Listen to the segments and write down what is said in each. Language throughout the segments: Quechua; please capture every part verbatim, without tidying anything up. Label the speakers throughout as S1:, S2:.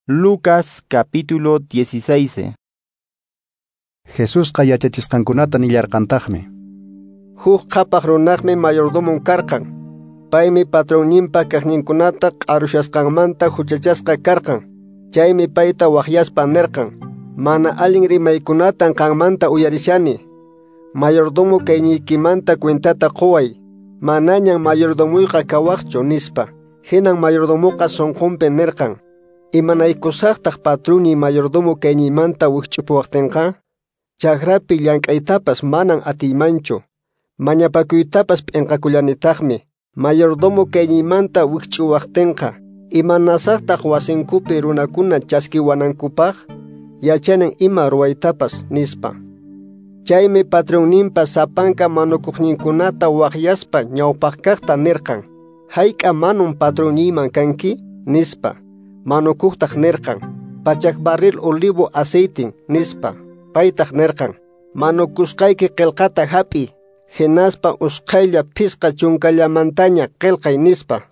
S1: Lucas capítulo dieciséis.
S2: Jesusqa yachachisqankunata nillarqantaqmi.
S3: Huk qhapaq runaqmi mayordomon karqan. Paymi patronninpa kaqninkunata q'arushasqanmanta huchachasqa karqan. Chaymi payta waqyaspa nirqan: Mana allin rimaykunatan qanmanta uyarishani. Mayordomo kayniykimanta cuentata quway. Manañan mayordomuyqa kawaqchu nispa. Hinan mayordomoqa sunqunpi nirqan: Imanaykusaqtaq patruni mayordomo kayniymanta wikch'upuwaqtinqa? Chakrapi llank'aytapas manan atiymanchu. Mañapakuytapas p'inqakullanitaqmi. Mayordomo kayniymanta wikch'uwaqtinqa, imanasaqtaq wasinkupi runakuna chaskiwanankupaq? Yachanin ima ruwaytapas nispa. Chaymi patronninpa sapanka manukuqninkunata waqyaspa ñawpaqkaqta nirqan: Hayk'a manun patronniyman kanki? Nispa. Manukuqtaq nirqan: Pachak barril olivo aceitin, nispa. Paytaq nirqan: Manukusqayki qillqata hap'iy, hinaspa usqhaylla phisqa chunkallamantaña qillqay, nispa.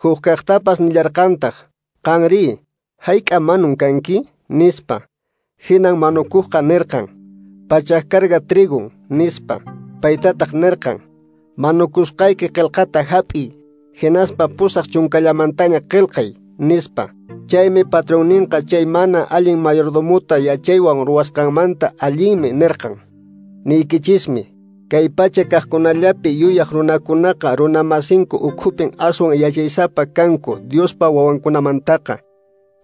S3: Hukkaqtapas nillarqantaq: Qanri, hayk'a manun kanki? Nispa. Hinan manukuqqa nirqan: Pachak carga trigun, nispa. Paytataq nirqan: Manukusqayki qillqata hap'iy, hinaspa pusaq chunkallamantaña qillqay, nispa. Chaymi patronninqa chay mana allin mayordomuta yachaywan ruwasqanmanta allinmi nirqan. Niykichismi, kay pacha kaqkunallapi yuyaq runakunaqa runamasinku ukhupin aswan yachaysapa kanku Diospa wawankunamantaqa.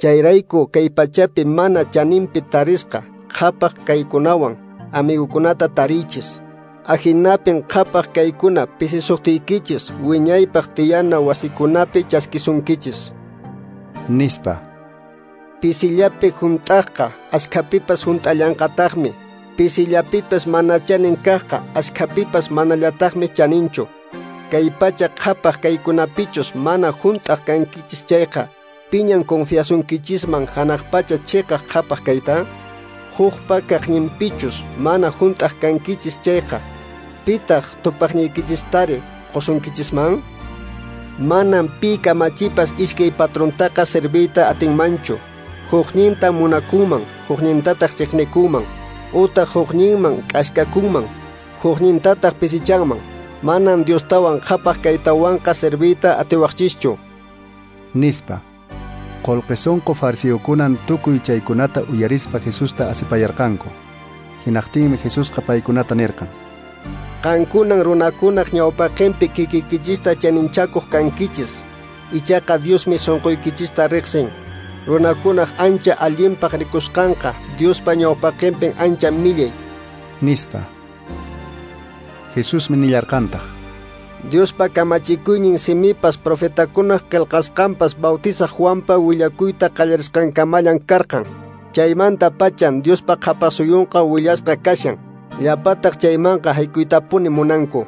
S3: Chayrayku kay pachapi mana chaninpi tarisqa qhapaq kaykunawan amigukunata tariychis. Ahinapin qhapaq kaykuna pisisuqtiykichis wiñaypaq tiyana wasikunapi chaskisunkichis.
S2: Nispa.
S3: Pisillapi hunt'aqqa askhapipas hunt'allanqataqmi. Pisillapipas mana chanin kaqqa askhapipas manallataqmi chaninchu. Kay pacha qhapaq kaykunapichus mana hunt'aq kankichis chayqa, piñan confiasunkichisman hanaq pacha chiqaq qhapaq kayta? Hukpa kaqninpichus mana hunt'aq kankichis chayqa, pitaq tupaqniykichistari qusunkichisman? Manam pi kamachipas iskay patrontaqa serviyta atinmanchu. Hukninta munakunman, huknintataq chiqnikunman, utaq hukninman k'askakunman, huknintataq pisichanman. Manam Diostawan qhapaq kaytawanqa serviyta atiwaqchischu.
S2: Nispa. Qullqi sunqu fariseokunan tukuy chaykunata uyarispa Jesusta asipayarqanku. Hinaqtinmi Jesusqa paykunata nirqan:
S3: Qankunan runakunaq ñawpaqinpi kikiykichista chaninchakuq kankichis. Ichaqa Diosmi sunquykichista riqsin. Runakunaq ancha allinpaq rikusqanqa Diospa ñawpaqinpin ancha millay.
S2: Nispa. Jesusmi nillarqantaq:
S3: Diospa kamachikuynin simipas profetakunaq qillqasqanpas Bautizaq Juanpa willakuyta qallarisqankamallan karqan. Chaymanta pachan Diospa qhapaqsuyunqa willasqa kashan. Llapataq chaymanqa haykuytapuni munanku.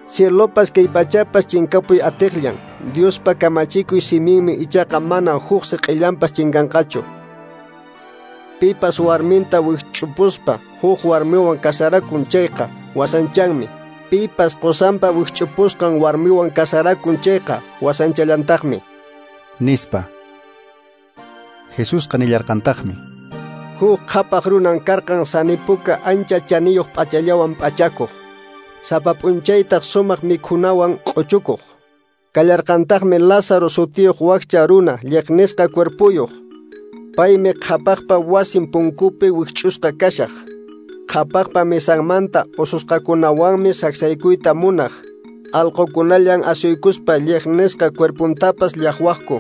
S3: Cielopas kay pachapas chinkapuy atiqllan. Diospa kamachikuy siminmi ichaqa mana huk siq'illanpas chinkanqachu. Pipas warminta wikch'upuspa huk warmiwan kasarakun chayqa wasanchanmi. Pipas qosanpa wikch'upusqan warmiwan kasarakun chayqa wasanchallantaqmi.
S2: Nispa. Jesusqa nillarqantaqmi:
S3: Huk qhapaq runan karqan sanipuka ancha chaniyuq p'achallawan p'achakuq. Sapa p'unchaytaq sumaq mikhunawan q'uchukuq. Kallarqantaqmi Lázaro sutiyuq wakcha runa lliqnisqa cuerpuyuq. Paymi qhapaqpa wasin punkupi wikch'usqa kashaq. Qhapaqpa mesanmanta ususqakunawanmi saksaykuyta munaq. Allqukunallan asuykuspa lliqnisqa cuerpuntapas llaqwaqku.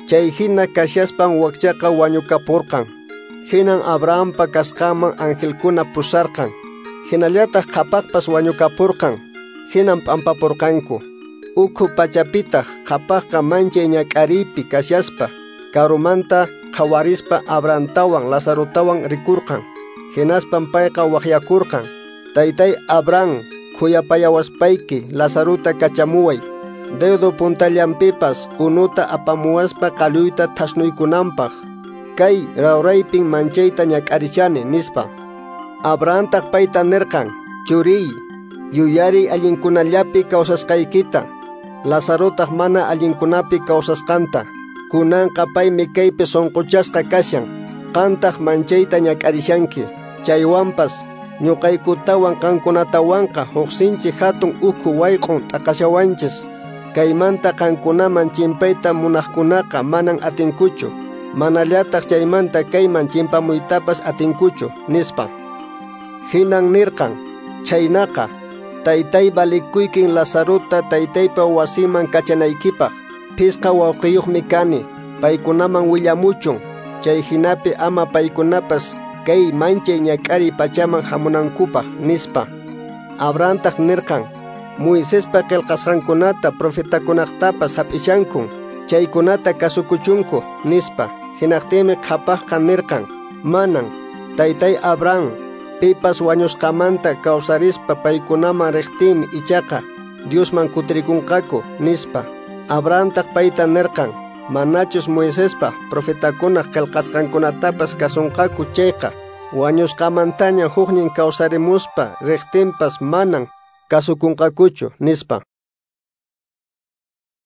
S3: Chay hina kashaspan wakchaqa wañukapurqan. Hinan Abrahampa kasqanman angelkuna pusarqan. Hinallataq qhapaqpas wañukapurqan. Hinan p'ampapurqanku. Ukhu pachapitaq qhapaqqa manchay ñak'ariypi kashaspa karumanta qhawarispa Abrahamtawan Lazarotawan rikurqan. Hinaspan payqa waqyakurqan: Taytay Abraham, khuyapayawaspayki Lazarota kachamuway. Dedo puntallanpipas unuta apamuwaspa qalluyta thasnuykunanpaq. Kay rawraypin manchayta ñak'arishani, nispa. Abrahamtaq payta nirqan: Churiy, yuyariy allinkunallapi kawsasqaykita, Lazarotaq mana allinkunapi kawsasqanta. Kunanqa paymi kaypi sunquchasqa kashan, qantaq manchayta ñak'arishanki. Chaywanpas ñuqaykutawan qankunatawanqa huk sinchi hatun ukhu wayq'un t'aqashawanchis. Kaymanta qankunaman chimpayta munaqkunaqa manan atinkuchu, manallataq chaymanta kayman chimpamuytapas atinkuchu, nispa. Hinan nirqan, chhaynaqa, taytay valikuykin Lazarota taytaypa wasiman kachanaykipaq. Phisqa wawqiyuqmi kani, paykunaman willamuchun, chay hinapi ama paykunapas kay manchay ñak'ariy pachaman hamunankupaq, nispa. Abrahamtaq nirqan, Moisespa qillqasqankunata profetakunaqtapas hap'ishankun, chaykunata kasukuchunku, nispa. Hinaqtinmi qhapaqqa nirqan, manan, taytay Abraham, pipas wañusqamanta kawsarispa paykunaman riqtinmi ichaqa Diosman kutirikunqaku, nispa. Abrahamtaq payta nirqan, manachus Moisespa profetakunaq qillqasqankunatapas kasunqaku chayqa, wañusqamantaña huknin kawsarimuspa riqtinpas manan kasukunqakuchu, nispa.